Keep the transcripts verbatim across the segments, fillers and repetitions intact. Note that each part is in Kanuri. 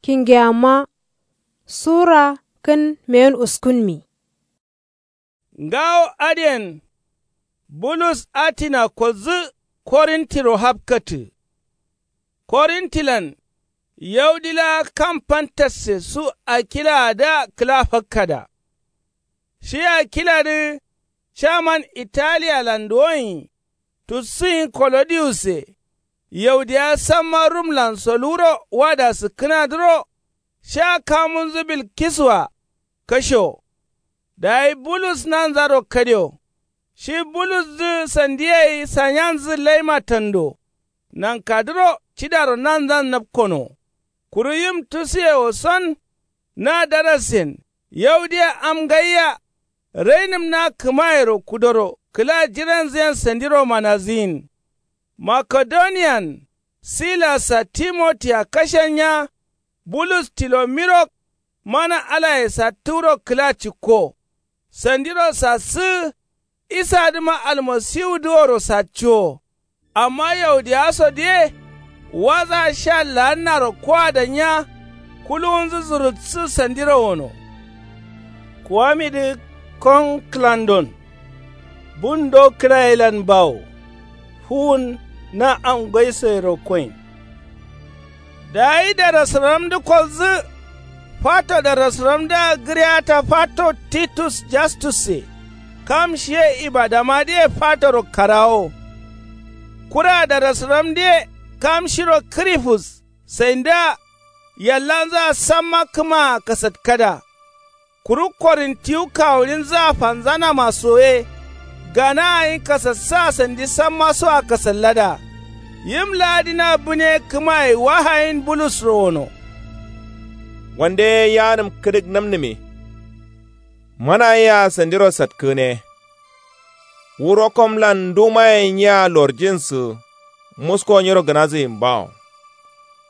Kingeyamma sura kǝn meyen uskunmi. Ngawo adǝyen bulus atina koldǝ korintiro hapkatǝ. Korintilan yaudilawa kam pantasse su akilawadǝa kǝla fakkada. Shi akiladǝ caman italiyalan duwonyi. Tussǝnyi kolodiyusse yaudiyawa samma rumlan soluwuro wada sǝkkǝnadǝro. Sha kamunzǝ bilkiswa kashewo. Dayi bulus nanzaro kadewo. Shi bulusdǝ sandiye gai sanyanzǝ laima tando. Nankadǝro cidaro nanzan napkonowo. Kuru yim tusuye woson na darasen yaudiya am ngaiya. Rainǝm na kǝmayero kudoro kǝla jiranzǝyen sandiro manazǝyin. Makedoniyan silassa timotiya kashennya. Bulus tilomiro mana alaye sattǝwuro kǝla cikko. Sandiro sassǝgǝ isadǝma almasiwudǝ woro saccuwo. Amma yaudiyawasodǝye waza sha laannaro kowadannya. Kuluwunzǝ zurutsǝ sandiro wono. Kuwamidǝ kon kǝlandon bundo kǝlayelan bawo. Fuwun na am ngaisoyero koin. Dayi darasǝramdǝ koldǝ. Fato darasǝramdǝa gǝriyata fato titus jastusse. Kam shiye ibadamadǝye fatoro karawo. Kura darasǝramdǝye kam shiro kǝrifus. Saindǝa yallanzǝa samma kǝmaa kasatkada. Kuru korintiwu kawulinzǝa fanzanama soye. Gana gǝnyi kasassǝa sandi sammasoa kasallada. Yim la'adǝna bǝne kǝmaye wahayin bulusro wono. Wande ye yaanǝm kǝdǝk namnǝme. Mana yea sandiro satkǝgǝne. Wu rokomlan ndumaye nyea lorjinsǝ. Musko nyiro gǝnazǝgin bawo.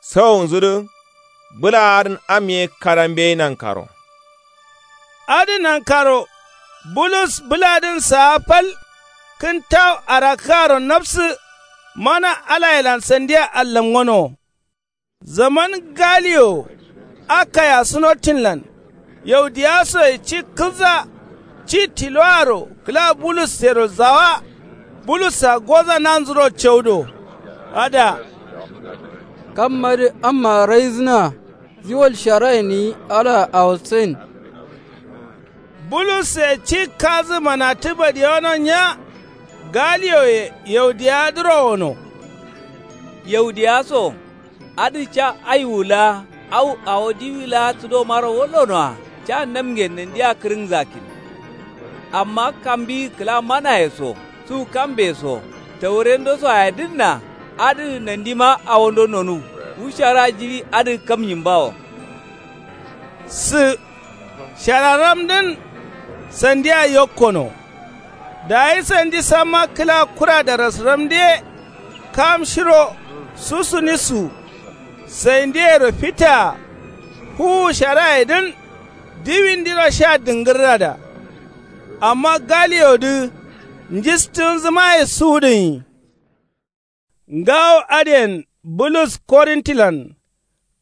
Sawunzudǝ bǝla adǝn am ye kada mbeyi nankaro. Adǝ nankaro bulus bǝladǝn saa fal. Kǝntawu arakkǝaro nafsǝ mana alayelan sandia allamgonowo. Zaman galiyo akaya sunotinlan yaudiyasoye ci kǝlza. Ci tiloaro kǝla bulussero zawa. Bulussa goza nanzuro caudo. Ada kammadǝ amma raizǝna. Ziwal sharayen gǝnyi alaa awosain. Bulusse ci kazǝ manatǝ badiyono nya. Galiyoye yaudiyawadǝro wono. Yaudiyawa so adǝ ca aiwu laa au awo diwi laa sǝdomaro wallonoa. Ca namngen nandia kǝrǝngza kin. Amma kambiyi kǝla manaye so su kambe so taurendosoaye dǝnna. Adǝ nandima awondo nonuw wu shara jiɍi adǝ kamnyin bawo. Sǝ shararamdǝn sandia yokkono. Dayi sandi samma kǝla kura darasǝramdǝ ye kam shiro susunisu. Saindǝyero fitaa fuwu sharayedǝn diwindiro sha dǝngǝrrada. Amma galiyodǝ njistǝgǝnzǝmaye suwudǝnyi. Ngawo adǝyen bulus korintilan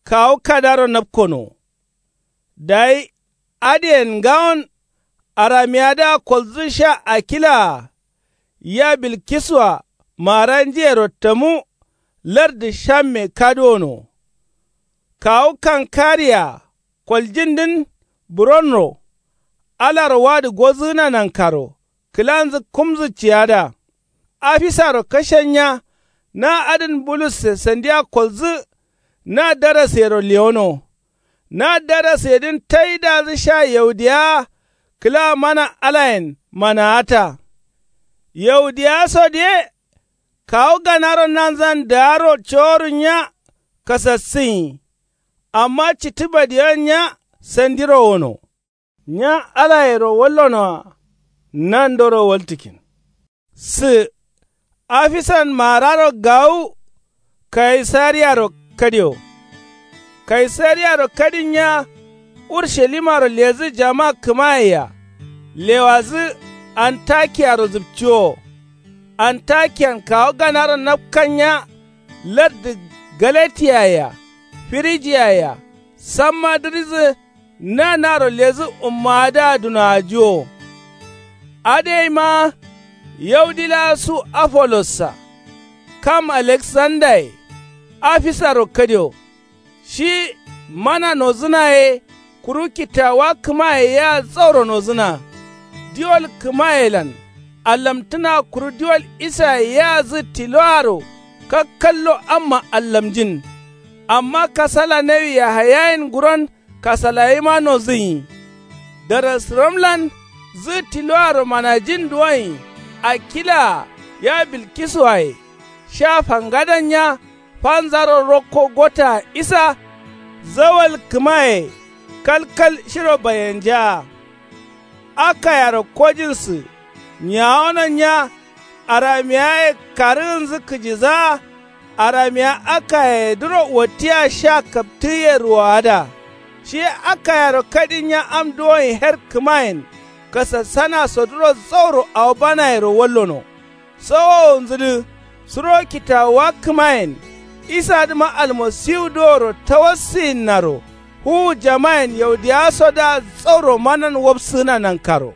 kawu kadaro napkono. Dayi adǝyen ngawon aramiyadǝa koldǝ sha akilaa ya bilkiswa maranjiyero tamu. Lardǝ shamme kaduwono. Kawu kankariya koljindǝn buronro alaro wadǝ gozǝgǝna nankaro kǝlanzǝ kumzǝ ciyada. Afisaro kashennya na adǝn bulusse sandia koldǝ. Na daraseyero lewono. Na darasedǝn taidazǝ sha yaudiyawa kǝla mana alayen manaata. Yaudiyawasodǝ ye kawu ganaro nanzan daaro coworunya kasassǝnyi. Amma cittǝ badiyon nya sandiro wono. Nya alayero wallonoa nandoro waltǝkin. Sǝ afisan maararo gawu kaisariyaro kadiyo. Kaisariyaro kadin nya urshalimaro ledǝ jama kǝmayea. Lewadǝ antakiyaro zǝpciwowo. Antakiyan kawu ganaro napkan nya lardǝ galatiyaye-a firigiyayea. Samma dǝrizǝ nanaro lezǝ ummaadǝa dunowajiwo. Adǝ yaima yaudi laa su apollossa, kam aleksandaye, afisaro kadio. Shi mana nozǝna ye kuru kitawuwa kǝmaye yea jauro nozǝna. Diwol kǝmayelan allamtǝna kuru diwol isaye yea zǝ tiloaro kakkallo amma allamjin. Amma kasala nawi yahayayen nguron kasalayima nozǝnyi. Darasǝramlan zǝ tiloaro manajin duwonyi. Akilaa ya bilkisuwaye sha fangadannya. Fanzaro rokko gotaa isa zawal kǝmaye kalkal shiro bayenjaa. Akayero kojinsǝ nyawononnya. Aramiyaye karǝgǝnzǝ kǝjizaa. Aramiya akayedǝro wattiya sha kaptǝgǝye ruwowada. Shi ye akayero kadinnya am duwonyi her kǝmayen kasassanasodǝro zauro awo banayero wallono. Sowowonzǝdǝ suro kitawuwa kǝmayen isadǝma almasiwu duworo tawassǝyinnaro. Fuwu jamayen yaudiyawasodǝa zauro manan wapsǝgǝna nankaro.